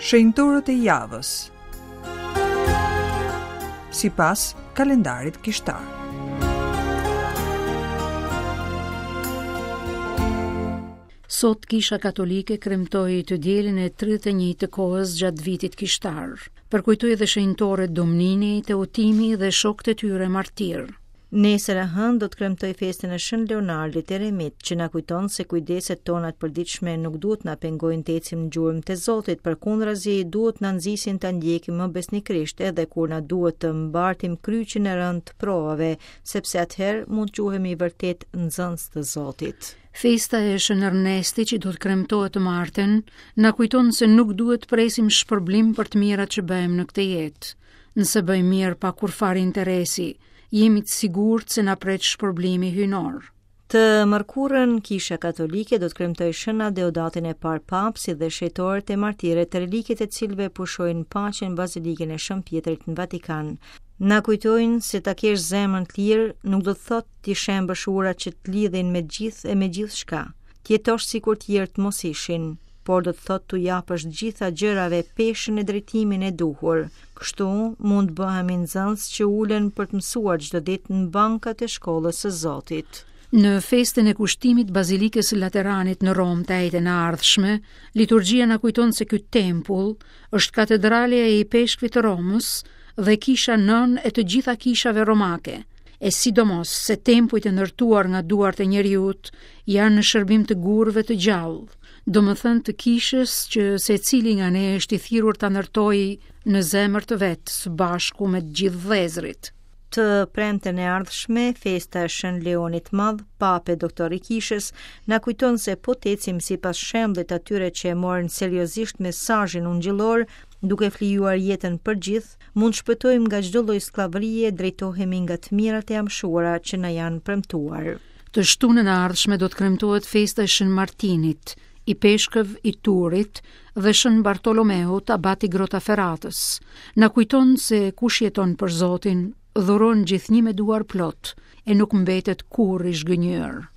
Shenjtorët e javës. Sipas kalendarit kishtar. Sot Kisha Katolike kremtoi të dielën e 31 të kohës gjatë vitit kishtar. Përkujtoi dhe shenjtorët Domnini, Teotimi dhe shokët e tyre martirë. Nesër e hënë do të kremtojë festën e Shën Leonardit Eremit, që na kujton se kujdeset tona të përditshme nuk duhet na pengojnë të ecim në gjurmët e Zotit, përkundrazi duhet na nxisin ta ndjekim më besnikërisht edhe kur na duhet të mbartim kryqin e rëndë të provave, sepse atëherë mund të quhemi vërtet nxënës të Zotit. Festa e Shën Ernestit që do të kremtohet të martën, na kujton se nuk duhet të presim shpërblim për të mirat që bëjmë në këtë jetë. Nëse bëjmë mirë pa kurrfarë interesi, jemi të sigurt se na pret shpërblimi hyjnor. Të mërkurën, Kisha Katolike do të kremtojë Shën Adeodatin e parë Papë, si dhe shenjtorët e martirët, reliket e të cilëve pushojnë në paqe në Bazilikën e Shën Pjetrit në Vatikan. Na kujtojnë se ta kesh zemrën të lirë nuk do të thotë t'i shembësh urat që të lidhin me gjithë e me gjithçka. Të jetosh sikur të tjerët mos ishin, por do të thotë t'u japësh të gjitha gjërave peshën e drejtimin e duhur. Kështu mund të bëhemi nxënës që ulen për të mësuar çdo ditë në bankat e shkollës së Zotit. Në festën e kushtimit Bazilikës së Lateranit në Romë të enjten e ardhshme, liturgjia na kujton se ky tempull është katedralja e ipeshkvit të Romës dhe kisha nënë e të gjitha kishave romake, e sidomos se tempujt e ndërtuar nga duart e njeriut janë në shërbim të gurëve të gjallë, domethënë të kishës që secili nga ne është i thirrur ta ndërtojë në zemër të vet së bashku me të gjithë vëllezërit. Të premten e ardhshme, festa e Shën Leonit të Madh, Papë e Doktor i Kishës, na kujton se po të ecim sipas shembullit të atyre që e morën seriozisht mesazhin ungjillor, duke flijuar jetën për gjithë, mund të shpëtojmë nga çdo lloj skllavërie, drejtohemi nga të mirat e amshuara që na janë premtuar. Të shtunën e ardhshme do të kremtohet festa e Shën Martinit, ipeshkëv i Turit dhe Shën Bartolomeut, abat i Grotaferatës. Na kujton se kush jeton për Zotin, dhuron gjithnjë me duar plot e nuk mbetet kurrë i zhgënjyer.